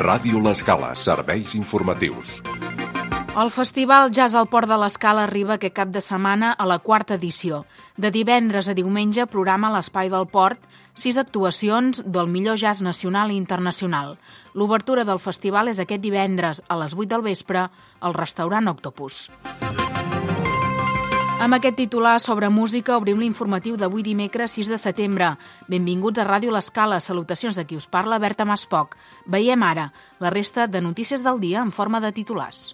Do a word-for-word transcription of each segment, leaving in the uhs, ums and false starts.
Ràdio L'Escala, serveis informatius. El Festival Jazz al Port de l'Escala arriba aquest cap de setmana a la quarta edició. De divendres a diumenge programa a l'Espai del Port sis actuacions del millor jazz nacional i internacional. L'obertura del festival és aquest divendres a les vuit del vespre al restaurant Octopus. Amb aquest titular sobre música obrim l'informatiu d'avui dimecres sis de setembre. Benvinguts a Ràdio L'Escala. Salutacions de qui us parla, Berta Maspoc. Veiem ara la resta de notícies del dia en forma de titulars.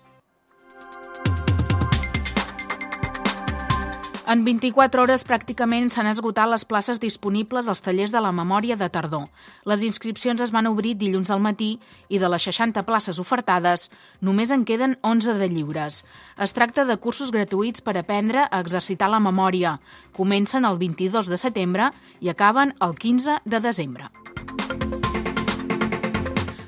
En vint-i-quatre hores pràcticament s'han esgotat les places disponibles als tallers de la memòria de tardor. Les inscripcions es van obrir dilluns al matí i de les seixanta places ofertades només en queden onze de lliures. Es tracta de cursos gratuïts per aprendre a exercitar la memòria. Comencen el vint-i-dos de setembre i acaben el quinze de desembre.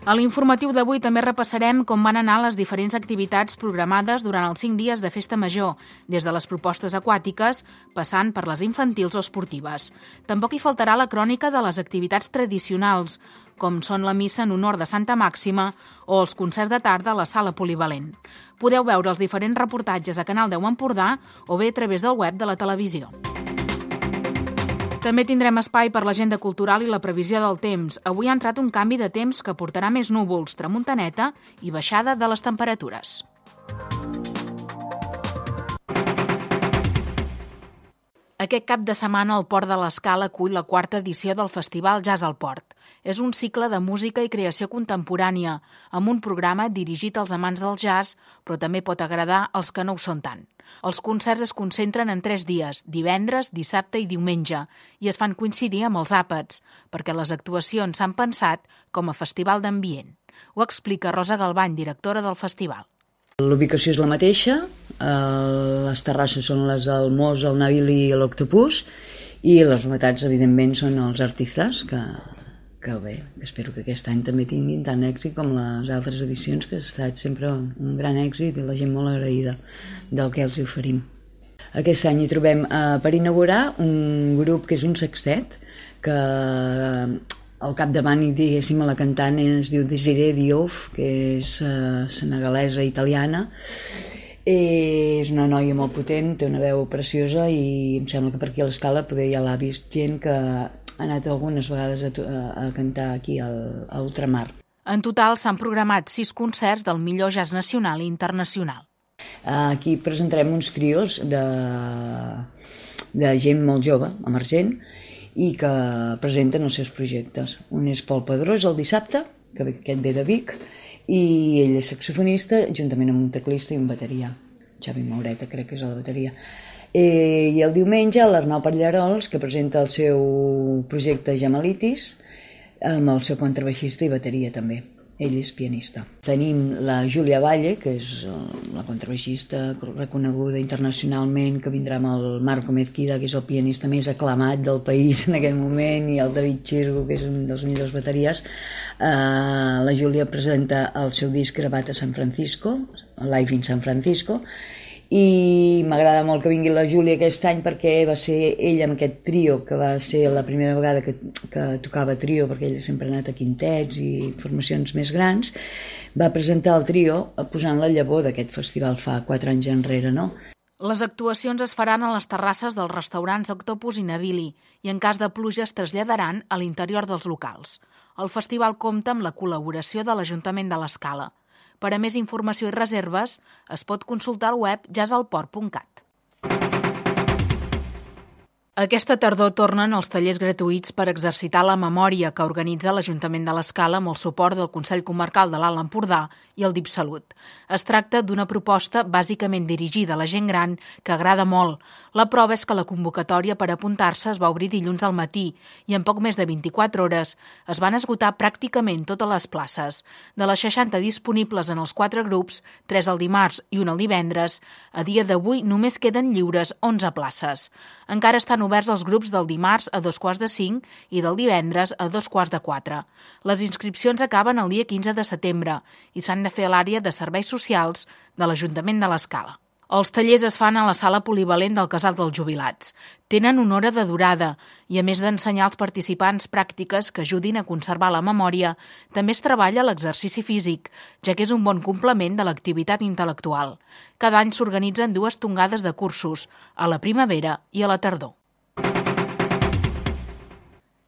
A l'informatiu d'avui també repassarem com van anar les diferents activitats programades durant els cinc dies de Festa Major, des de les propostes aquàtiques, passant per les infantils o esportives. Tampoc hi faltarà la crònica de les activitats tradicionals, com són la missa en honor de Santa Màxima o els concerts de tarda a la sala polivalent. Podeu veure els diferents reportatges a Canal deu Empordà o bé a través del web de la televisió. També tindrem espai per l'agenda cultural i la previsió del temps. Avui ha entrat un canvi de temps que portarà més núvols, tramuntaneta i baixada de les temperatures. Aquest cap de setmana el Port de l'Escala acull la quarta edició del Festival Jazz al Port. És un cicle de música i creació contemporània, amb un programa dirigit als amants del jazz, però també pot agradar als que no ho són tant. Els concerts es concentren en tres dies, divendres, dissabte i diumenge, i es fan coincidir amb els àpats, perquè les actuacions s'han pensat com a festival d'ambient. Ho explica Rosa Galvany, directora del festival. L'ubicació és la mateixa, les terrasses són les del Mos, el Navili i l'Octopus, i les novetats, evidentment, són els artistes, que, que bé, espero que aquest any també tinguin tant èxit com les altres edicions, que ha estat sempre un gran èxit i la gent molt agraïda del que els oferim. Aquest any hi trobem eh, per inaugurar un grup que és un sextet, que al capdavant, i diguéssim, la cantant es diu Desiree Diouf, que és uh, senegalesa italiana. I és una noia molt potent, té una veu preciosa i em sembla que per aquí a l'Escala poder ja l'ha vist gent que ha anat algunes vegades a, a cantar aquí al, a Ultramar. En total s'han programat sis concerts del millor jazz nacional i internacional. Aquí presentarem uns trios de, de gent molt jove, emergent, i que presenten els seus projectes. Un és Pol Pedrós el dissabte, que aquest ve de Vic, i ell és saxofonista, juntament amb un teclista i un bateria. Xavi Maureta crec que és a la bateria. I el diumenge l'Arnau Pallarols, que presenta el seu projecte Jamalitis, amb el seu contrabaixista i bateria també. Ell és pianista. Tenim la Júlia Valle, que és la contrabaixista reconeguda internacionalment, que vindrà amb el Marco Mezquida, que és el pianista més aclamat del país en aquest moment, i el David Chirgo, que és un dels millors bateries. Uh, la Júlia presenta el seu disc gravat a San Francisco, Live in San Francisco, i m'agrada molt que vingui la Júlia aquest any perquè va ser ella amb aquest trio, que va ser la primera vegada que, que tocava trio, perquè ella sempre ha anat a quintets i formacions més grans, va presentar el trio posant la llavor d'aquest festival fa quatre anys enrere, no? Les actuacions es faran a les terrasses dels restaurants Octopus i Navili i en cas de pluja es traslladaran a l'interior dels locals. El festival compta amb la col·laboració de l'Ajuntament de l'Escala. Per a més informació i reserves, es pot consultar al web jazz al port punt cat. Aquesta tardor tornen els tallers gratuïts per exercitar la memòria que organitza l'Ajuntament de l'Escala amb el suport del Consell Comarcal de l'Alt Empordà i el DIPSalut. Es tracta d'una proposta bàsicament dirigida a la gent gran que agrada molt. La prova és que la convocatòria per apuntar-se es va obrir dilluns al matí i en poc més de vint-i-quatre hores es van esgotar pràcticament totes les places. De les seixanta disponibles en els quatre grups, tres el dimarts i un el divendres, a dia d'avui només queden lliures onze places. Encara estan oberts els grups del dimarts a dos quarts de cinc i del divendres a dos quarts de quatre. Les inscripcions acaben el dia quinze de setembre i s'han de fer a l'àrea de serveis socials de l'Ajuntament de l'Escala. Els tallers es fan a la sala polivalent del Casal dels Jubilats. Tenen una hora de durada i, a més d'ensenyar als participants pràctiques que ajudin a conservar la memòria, també es treballa l'exercici físic, ja que és un bon complement de l'activitat intel·lectual. Cada any s'organitzen dues tongades de cursos, a la primavera i a la tardor.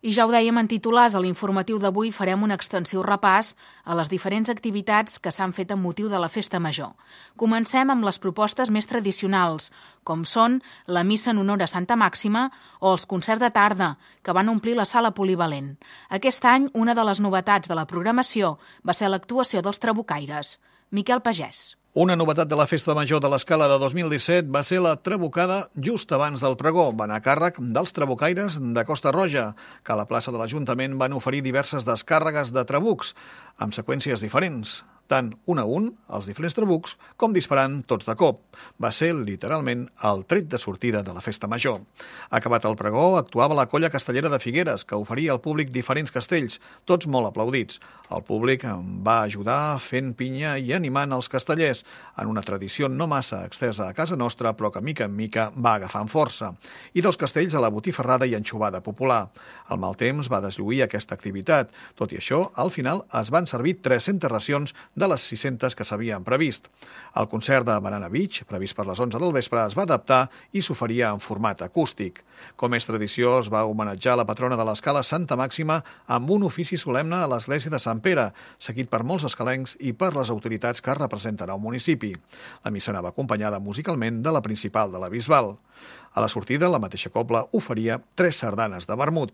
I ja ho dèiem en titulars, a l'informatiu d'avui farem un extensiu repàs a les diferents activitats que s'han fet amb motiu de la Festa Major. Comencem amb les propostes més tradicionals, com són la missa en honor a Santa Màxima o els concerts de tarda, que van omplir la sala polivalent. Aquest any, una de les novetats de la programació va ser l'actuació dels Trabucaires. Miquel Pagès. Una novetat de la Festa Major de l'Escala de dos mil disset va ser la trabucada just abans del pregó. Va anar a càrrec dels trabucaires de Costa Roja, que a la plaça de l'Ajuntament van oferir diverses descàrregues de trabucs, amb seqüències diferents, tant un a un, els diferents trabucs, com disparant tots de cop. Va ser, literalment, el tret de sortida de la Festa Major. Acabat el pregó, actuava la colla castellera de Figueres, que oferia al públic diferents castells, tots molt aplaudits. El públic va ajudar fent pinya i animant els castellers, en una tradició no massa extesa a casa nostra, però que mica en mica va agafant força. I dels castells a la botifarrada i anxovada popular. El mal temps va deslluir aquesta activitat. Tot i això, al final es van servir tres-centes racions de les sis-centes que s'havien previst. El concert de Banana Beach, previst per les onze del vespre, es va adaptar i s'oferia en format acústic. Com és tradició, es va homenatjar la patrona de l'Escala, Santa Màxima, amb un ofici solemne a l'església de Sant Pere, seguit per molts escalencs i per les autoritats que representen el municipi. La missa anava acompanyada musicalment de la principal de la Bisbal. A la sortida, la mateixa cobla oferia tres sardanes de vermut.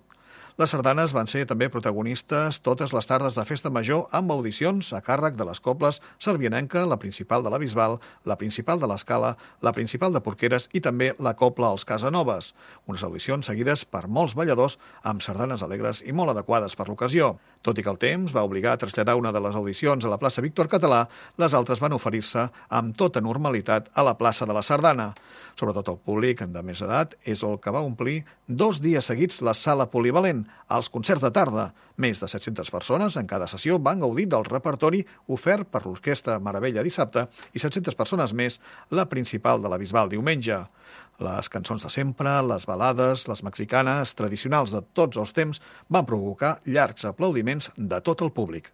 Les sardanes van ser també protagonistes totes les tardes de Festa Major amb audicions a càrrec de les cobles Servianenca, la principal de la Bisbal, la principal de l'Escala, la principal de Porqueres i també la cobla als Casanovas. Unes audicions seguides per molts balladors amb sardanes alegres i molt adequades per l'ocasió. Tot i que el temps va obligar a traslladar una de les audicions a la plaça Víctor Català, les altres van oferir-se amb tota normalitat a la plaça de la Sardana. Sobretot el públic de més edat és el que va omplir dos dies seguits la sala polivalent, als concerts de tarda. Més de set-centes persones en cada sessió van gaudir del repertori ofert per l'Orquestra Meravella dissabte i set-centes persones més la principal de la Bisbal diumenge. Les cançons de sempre, les balades, les mexicanes, tradicionals de tots els temps, van provocar llargs aplaudiments de tot el públic.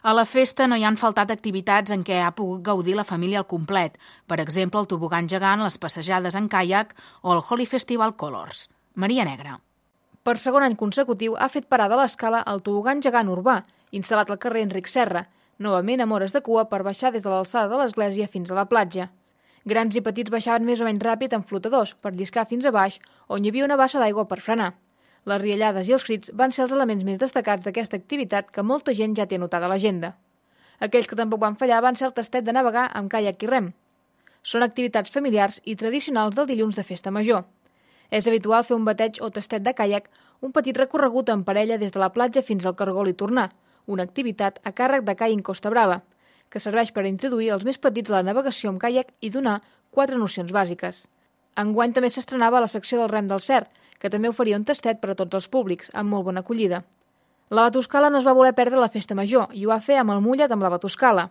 A la festa no hi han faltat activitats en què ha pogut gaudir la família al complet, per exemple el tobogan gegant, les passejades en caiac o el Holi Festival Colors. Maria Negra. Per segon any consecutiu ha fet parada a l'Escala el tobogan gegant urbà, instal·lat al carrer Enric Serra, novament amb hores de cua per baixar des de l'alçada de l'església fins a la platja. Grans i petits baixaven més o menys ràpid amb flotadors per lliscar fins a baix, on hi havia una bassa d'aigua per frenar. Les riallades i els crits van ser els elements més destacats d'aquesta activitat que molta gent ja té anotada a l'agenda. Aquells que tampoc van fallar van ser el tastet de navegar amb caiac i rem. Són activitats familiars i tradicionals del dilluns de Festa Major. És habitual fer un bateig o tastet de caiac, un petit recorregut en parella des de la platja fins al cargol i tornar, una activitat a càrrec de Caiac Costa Brava, que serveix per introduir els més petits a la navegació amb caiac i donar quatre nocions bàsiques. Enguany també s'estrenava la secció del rem del Cer, que també oferia un tastet per a tots els públics, amb molt bona acollida. La Batuscala no es va voler perdre la Festa Major i ho va fer amb el mullet amb la Batuscala.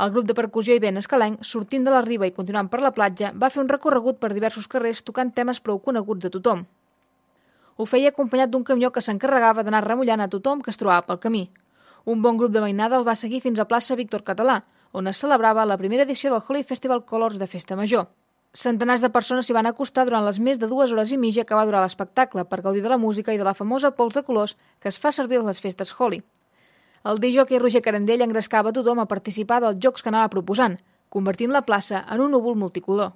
El grup de percussió i vent escalenc, sortint de la riba i continuant per la platja, va fer un recorregut per diversos carrers tocant temes prou coneguts de tothom. Ho feia acompanyat d'un camió que s'encarregava d'anar remullant a tothom que es trobava pel camí. Un bon grup de mainada el va seguir fins a plaça Víctor Català, on es celebrava la primera edició del Holi Festival Colors de Festa Major. Centenars de persones s'hi van acostar durant les més de dues hores i mitja que va durar l'espectacle per gaudir de la música i de la famosa pols de colors que es fa servir a les festes Holi. El discjòquei Roger Carandell engrescava tothom a participar dels jocs que anava proposant, convertint la plaça en un núvol multicolor.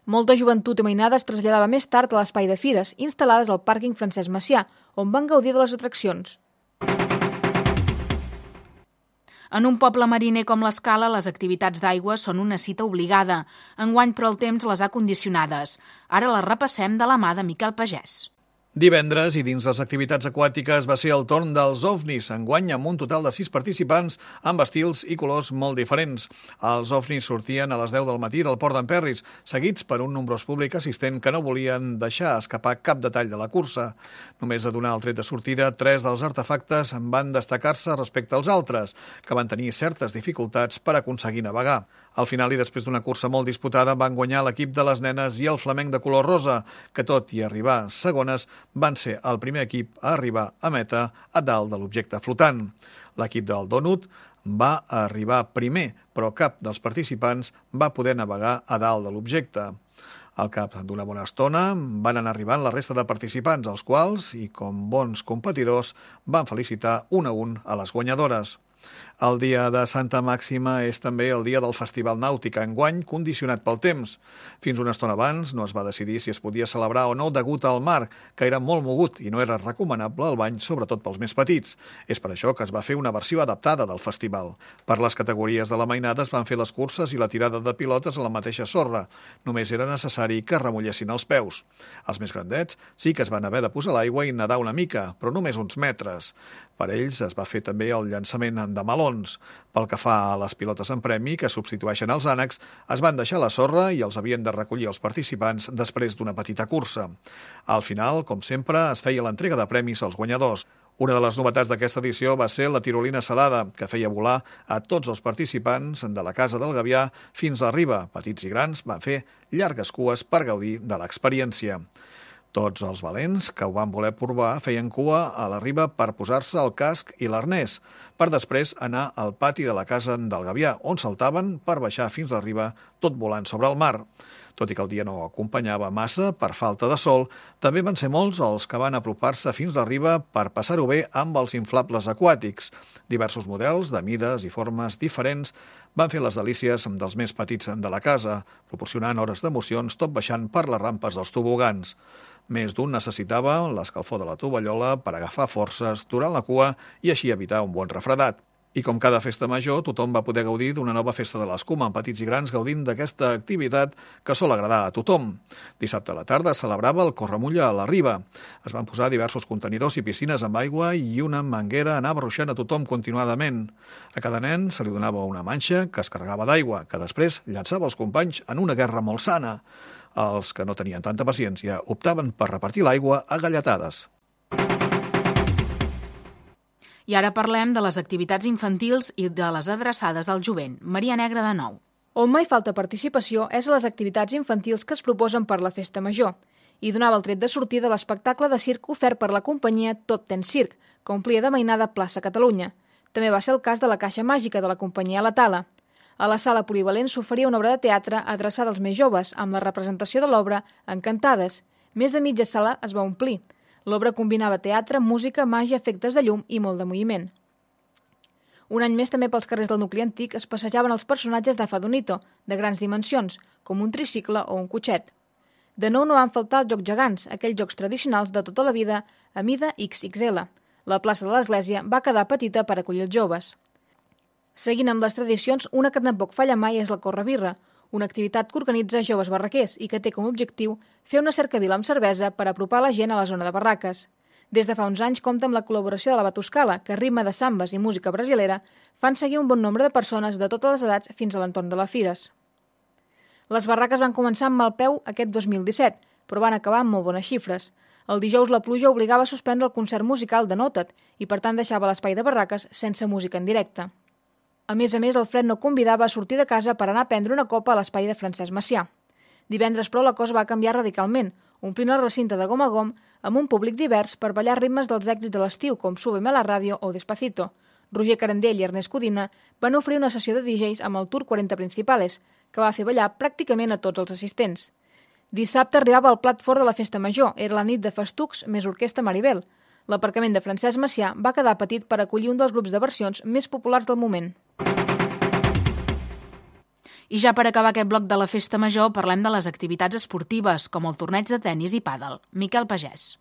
Molta joventut i mainada es traslladava més tard a l'espai de fires, instal·lades al pàrquing Francesc Macià, on van gaudir de les atraccions. En un poble mariner com l'Escala, les activitats d'aigua són una cita obligada. Enguany, però, el temps les ha condicionades. Ara les repassem de la mà de Miquel Pagès. Divendres, i dins les activitats aquàtiques, va ser el torn dels ovnis, enguany amb un total de sis participants amb estils i colors molt diferents. Els ovnis sortien a les deu del matí del Port d'en Perris, seguits per un nombrós públic assistent que no volien deixar escapar cap detall de la cursa. Només a donar el tret de sortida, tres dels artefactes van destacar-se respecte als altres, que van tenir certes dificultats per aconseguir navegar. Al final, i després d'una cursa molt disputada, van guanyar l'equip de les nenes i el flamenc de color rosa, que tot i arribar segones, van ser el primer equip a arribar a meta a dalt de l'objecte flotant. L'equip del Donut va arribar primer, però cap dels participants va poder navegar a dalt de l'objecte. Al cap d'una bona estona van anar arribant la resta de participants, els quals, i com bons competidors, van felicitar un a un a les guanyadores. El dia de Santa Màxima és també el dia del Festival Nàutic, enguany condicionat pel temps. Fins una estona abans no es va decidir si es podia celebrar o no degut al mar, que era molt mogut i no era recomanable el bany, sobretot pels més petits. És per això que es va fer una versió adaptada del festival. Per les categories de la mainada es van fer les curses i la tirada de pilotes a la mateixa sorra. Només era necessari que remullessin els peus. Els més grandets sí que es van haver de posar a l'aigua i nedar una mica, però només uns metres. Per ells es va fer també el llançament de melons. Pel que fa a les pilotes en premi, que substitueixen els ànecs, es van deixar a la sorra i els havien de recollir els participants després d'una petita cursa. Al final, com sempre, es feia l'entrega de premis als guanyadors. Una de les novetats d'aquesta edició va ser la tirolina salada, que feia volar a tots els participants de la Casa del Gavià fins a la riba. Petits i grans van fer llargues cues per gaudir de l'experiència. Tots els valents que ho van voler provar feien cua a la riba per posar-se el casc i l'arnès, per després anar al pati de la Casa del Gavià, on saltaven per baixar fins a la riba, tot volant sobre el mar. Tot i que el dia no acompanyava massa per falta de sol, també van ser molts els que van apropar-se fins a la riba per passar-ho bé amb els inflables aquàtics. Diversos models, de mides i formes diferents, van fer les delícies dels més petits de la casa, proporcionant hores d'emocions tot baixant per les rampes dels tobogans. Més d'un necessitava l'escalfor de la tovallola per agafar forces durant la cua i així evitar un bon refredat. I com cada festa major, tothom va poder gaudir d'una nova festa de l'escuma, amb petits i grans gaudint d'aquesta activitat que sol agradar a tothom. Dissabte a la tarda es celebrava el Corremulla a la riba. Es van posar diversos contenidors i piscines amb aigua i una manguera anava ruixant a tothom continuadament. A cada nen se li donava una manxa que es carregava d'aigua, que després llançava els companys en una guerra molt sana. Els que no tenien tanta paciència optaven per repartir l'aigua a galletades. I ara parlem de les activitats infantils i de les adreçades al jovent. Maria Negra de nou. On mai falta participació és a les activitats infantils que es proposen per la festa major. I donava el tret de sortida de l'espectacle de circ ofert per la companyia Top Ten Circ, que omplia de mainada Plaça Catalunya. També va ser el cas de la Caixa Màgica de la companyia La Tala. A la sala polivalent s'oferia una obra de teatre adreçada als més joves, amb la representació de l'obra Encantades. Més de mitja sala es va omplir. L'obra combinava teatre, música, màgia, efectes de llum i molt de moviment. Un any més també pels carrers del nucli antic es passejaven els personatges de Fadonito, de grans dimensions, com un tricicle o un cotxet. De nou no van faltar els jocs gegants, aquells jocs tradicionals de tota la vida a mida ics ics ele. La plaça de l'Església va quedar petita per acollir els joves. Seguint amb les tradicions, una que tampoc falla mai és la Correbirra, una activitat que organitza joves barraquers i que té com a objectiu fer una cercavila amb cervesa per apropar la gent a la zona de barraques. Des de fa uns anys compta amb la col·laboració de la Batuscala, que ritme de sambes i música brasilera fan seguir un bon nombre de persones de totes les edats fins a l'entorn de les fires. Les barraques van començar amb mal peu aquest dos mil disset, però van acabar amb molt bones xifres. El dijous la pluja obligava a suspendre el concert musical de Nota't i per tant deixava l'espai de barraques sense música en directe. A més a més, el fred no convidava a sortir de casa per anar a prendre una copa a l'espai de Francesc Macià. Divendres, però, la cosa va canviar radicalment, omplint el recinte de gom a gom amb un públic divers per ballar ritmes dels èxits de l'estiu, com Súbeme a la ràdio o Despacito. Roger Carandell i Ernest Codina van oferir una sessió de D Js amb el Tour quaranta Principales, que va fer ballar pràcticament a tots els assistents. Dissabte arribava el plat fort de la festa major, era la nit de festucs més orquestra Maribel. L'aparcament de Francesc Macià va quedar petit per acollir un dels grups de versions més populars del moment. I ja per acabar aquest bloc de la festa major parlem de les activitats esportives, com el torneig de tennis i pàdel. Miquel Pagès.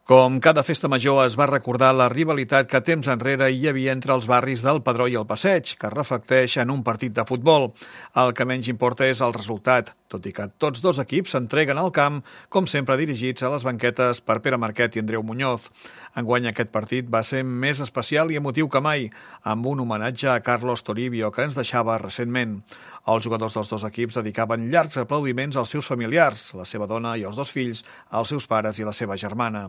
Com cada festa major es va recordar la rivalitat que temps enrere hi havia entre els barris del Pedró i el Passeig, que es reflecteix en un partit de futbol. El que menys importa és el resultat, tot i que tots dos equips s'entreguen al camp, com sempre dirigits a les banquetes per Pere Marquet i Andreu Muñoz. Enguany aquest partit va ser més especial i emotiu que mai, amb un homenatge a Carlos Toribio, que ens deixava recentment. Els jugadors dels dos equips dedicaven llargs aplaudiments als seus familiars, la seva dona i els dos fills, als seus pares i la seva germana.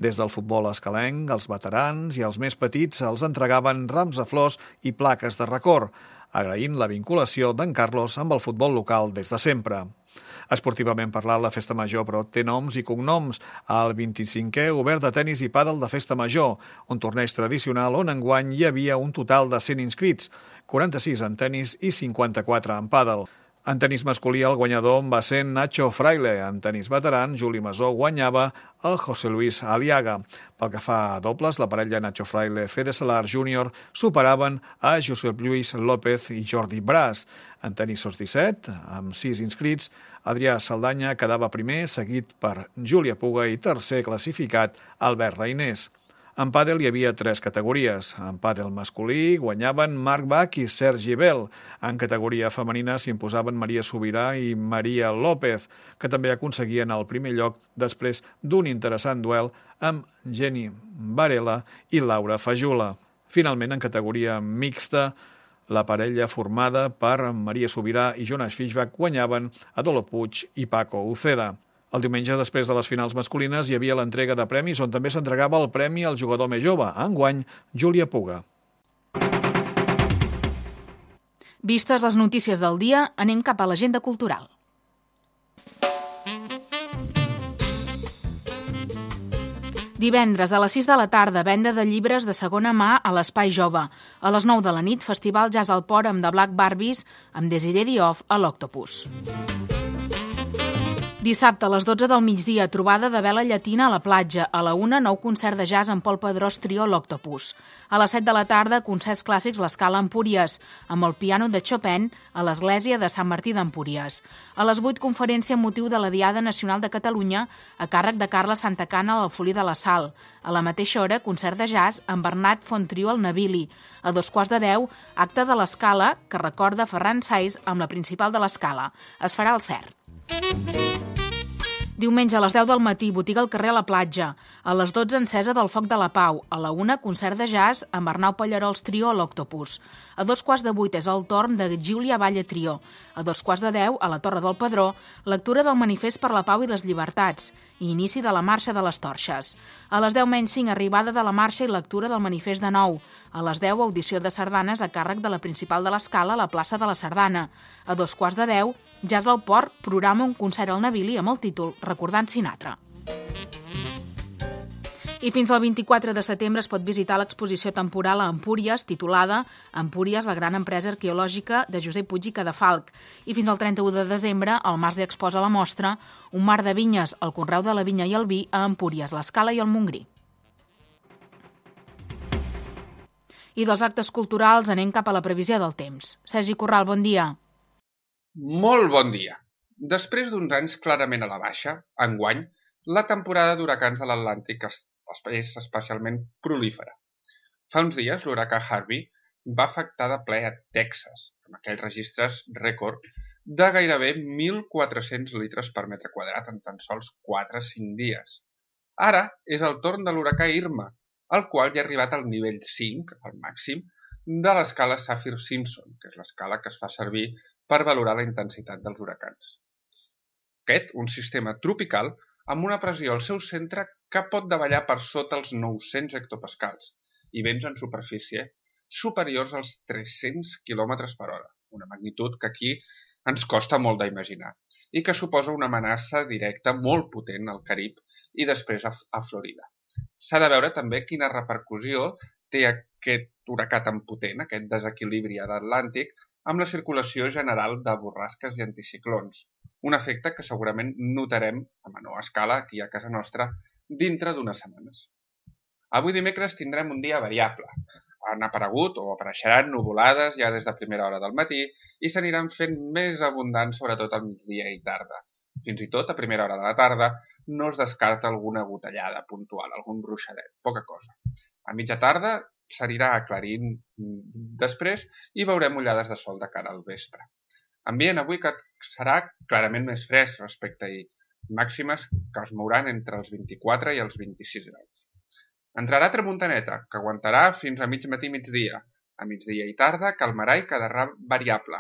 Des del futbol escalenc, els veterans i els més petits els entregaven rams de flors i plaques de record, agraint la vinculació d'en Carlos amb el futbol local des de sempre. Esportivament parlant, la Festa Major, però, té noms i cognoms. El vint-i-cinquè obert de tenis i pàdel de Festa Major, un torneig tradicional on enguany hi havia un total de cent inscrits, quaranta-sis en tenis i cinquanta-quatre en pàdel. En tenis masculí, el guanyador va ser Nacho Fraile. En tenis veteran, Juli Masó guanyava el José Luis Aliaga. Pel que fa a dobles, la parella Nacho Fraile-Fede Salar júnior superaven a Josep Lluís López i Jordi Brás. En tenis sos disset, amb sis inscrits, Adrià Saldanya quedava primer, seguit per Júlia Puga i tercer classificat Albert Reinés. En pàdel hi havia tres categories. En pàdel masculí guanyaven Marc Bach i Sergi Bel. En categoria femenina s'imposaven Maria Sobirà i Maria López, que també aconseguien el primer lloc després d'un interessant duel amb Jenny Varela i Laura Fajula. Finalment, en categoria mixta, la parella formada per Maria Sobirà i Jonas Fischbach guanyaven Adolo Puig i Paco Uceda. El diumenge, després de les finals masculines, hi havia l'entrega de premis on també s'entregava el premi al jugador més jove, enguany Júlia Puga. Vistes les notícies del dia, anem cap a l'agenda cultural. Divendres a les sis de la tarda, venda de llibres de segona mà a l'Espai Jove. A les nou de la nit, Festival Jazz al Port amb The Black Barbies amb Desiree Diouf a l'Octopus. Dissabte a les dotze del migdia, trobada de vela llatina a la platja. A la una, nou concert de jazz amb Pol Pedrós Trio l'Octopus. A les set de la tarda, concerts clàssics l'Escala Empúries, amb el piano de Chopin a l'Església de Sant Martí d'Empúries. A les vuit, conferència amb motiu de la Diada Nacional de Catalunya a càrrec de Carla Santacana a l'Alfolí de la Sal. A la mateixa hora, concert de jazz amb Bernat Fontrio al Navili. A dos quarts de deu, acte de l'Escala que recorda Ferran Saiz amb la principal de l'Escala. Es farà al Cert. Diumenge a les deu del matí, botiga al carrer a la platja. A les dotze, encesa del Foc de la Pau. A la una, concert de jazz amb Arnau Pallarols Trio a l'Octopus. A dos quarts de vuit és el torn de Júlia Valle Trio. A dos quarts de deu, a la Torre del Pedró, lectura del Manifest per la Pau i les Llibertats i inici de la Marxa de les Torxes. A les deu menys cinc, arribada de la marxa i lectura del Manifest de nou. A les deu, audició de sardanes a càrrec de la principal de l'Escala a la plaça de la Sardana. A dos quarts de deu, Jazz al Port programa un concert al Navili amb el títol Recordant Sinatra. I fins al vint-i-quatre de setembre es pot visitar l'exposició temporal a Empúries, titulada Empúries, la gran empresa arqueològica de Josep Puig i Cadafalch. I fins al trenta-u de desembre, el Mas li exposa la mostra Un mar de vinyes, el conreu de la vinya i el vi a Empúries, l'Escala i el Montgrí. I dels actes culturals anem cap a la previsió del temps. Sergi Corral, bon dia. Molt bon dia. Després d'uns anys clarament a la baixa, enguany, la temporada d'huracans de l'Atlàntic és especialment prolífera. Fa uns dies, l'huracà Harvey va afectar de ple a Texas, amb aquells registres rècord de gairebé mil quatre-cents litres per metre quadrat en tan sols quatre a cinc dies. Ara és el torn de l'huracà Irma, el qual ja ha arribat al nivell cinc, al màxim, de l'escala Saffir-Simpson, que és l'escala que es fa servir per valorar la intensitat dels huracans. Aquest, un sistema tropical amb una pressió al seu centre que pot davallar per sota els nou-cents hectopascals i vents en superfície superiors als tres-cents quilòmetres per hora, una magnitud que aquí ens costa molt d'imaginar i que suposa una amenaça directa molt potent al Carib i després a, a Florida. S'ha de veure també quina repercussió té aquest huracà tan potent, aquest desequilibri a l'Atlàntic, amb la circulació general de borrasques i anticiclons, un efecte que segurament notarem a menor escala aquí a casa nostra dintre d'unes setmanes. Avui dimecres tindrem un dia variable. Han aparegut o apareixeran nuvolades ja des de primera hora del matí i s'aniran fent més abundants sobretot al migdia i tarda, Fins i tot, a primera hora de la tarda, no es descarta alguna gotellada puntual, algun ruixadet, poca cosa. A mitja tarda s'anirà aclarint després i veurem ullades de sol de cara al vespre. Ambient avui que serà clarament més fresc respecte a ahir, màximes que es mouran entre els vint-i-quatre i els vint-i-sis graus. Entrarà tramuntaneta, que aguantarà fins a mig matí migdia. A migdia i tarda calmarà i quedarà variable.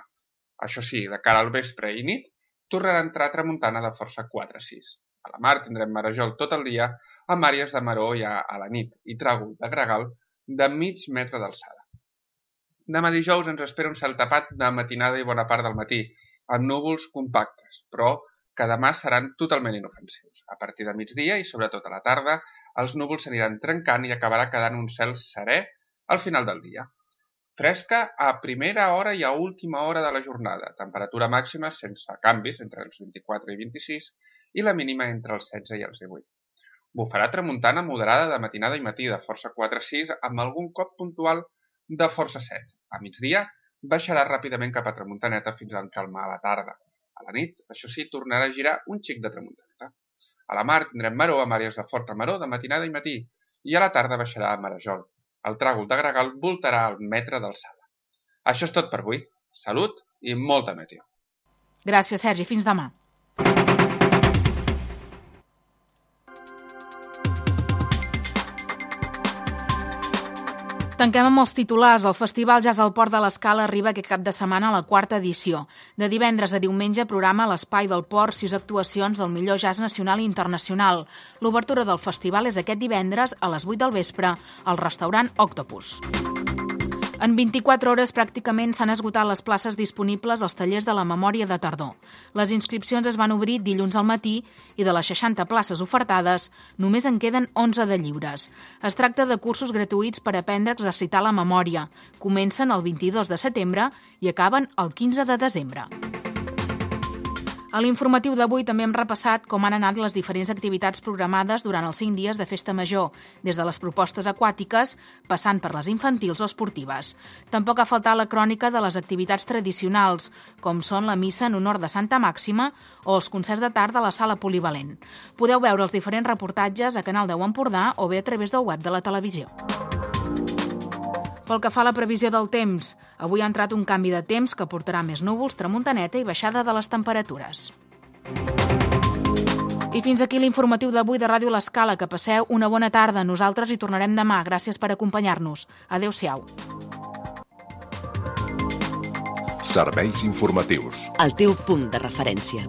Això sí, de cara al vespre i nit, tornarà a entrar tramuntana de força quatre a sis. A la mar tindrem marejol tot el dia, amb àrees de maró ja a la nit i tràgol de gregal de mig metre d'alçada. Demà dijous ens espera un cel tapat de matinada i bona part del matí, amb núvols compactes, però que demà seran totalment inofensius. A partir de migdia i sobretot a la tarda, els núvols s'aniran trencant i acabarà quedant un cel serè al final del dia. Fresca a primera hora i a última hora de la jornada, temperatura màxima sense canvis entre els vint-i-quatre i vint-i-sis i la mínima entre els setze i els divuit. Bufarà tramuntana moderada de matinada i matí de força quatre a sis amb algun cop puntual de força set. A migdia baixarà ràpidament cap a tramuntaneta fins a encalmar a la tarda. A la nit, això sí, tornarà a girar un xic de tramuntaneta. A la mar tindrem maró amb àrees de forta maró de matinada i matí i a la tarda baixarà a marejol. El tràgol de gregal voltarà al metre d'alçada. Això és tot per avui. Salut i molta meteo. Gràcies, Sergi. Fins demà. Tanquem amb els titulars. El Festival Jazz al Port de l'Escala arriba aquest cap de setmana a la quarta edició. De divendres a diumenge programa a l'Espai del Port sis actuacions del millor jazz nacional i internacional. L'obertura del festival és aquest divendres a les vuit del vespre al restaurant Octopus. En vint-i-quatre hores pràcticament s'han esgotat les places disponibles als tallers de la memòria de tardor. Les inscripcions es van obrir dilluns al matí i de les seixanta places ofertades només en queden onze de lliures. Es tracta de cursos gratuïts per aprendre a exercitar la memòria. Comencen el vint-i-dos de setembre i acaben el quinze de desembre. A l'informatiu d'avui també hem repassat com han anat les diferents activitats programades durant els cinc dies de Festa Major, des de les propostes aquàtiques, passant per les infantils o esportives. Tampoc ha faltat la crònica de les activitats tradicionals, com són la missa en honor de Santa Màxima o els concerts de tarda a la sala polivalent. Podeu veure els diferents reportatges a Canal deu Empordà o bé a través del web de la televisió. Pel que fa a la previsió del temps, avui ha entrat un canvi de temps que portarà més núvols, tramuntaneta i baixada de les temperatures. I fins aquí l'informatiu d'avui de Ràdio L'Escala. Que passeu una bona tarda. Nosaltres hi tornarem demà. Gràcies per acompanyar-nos. Adéu-siau. Serveis informatius. El teu punt de referència.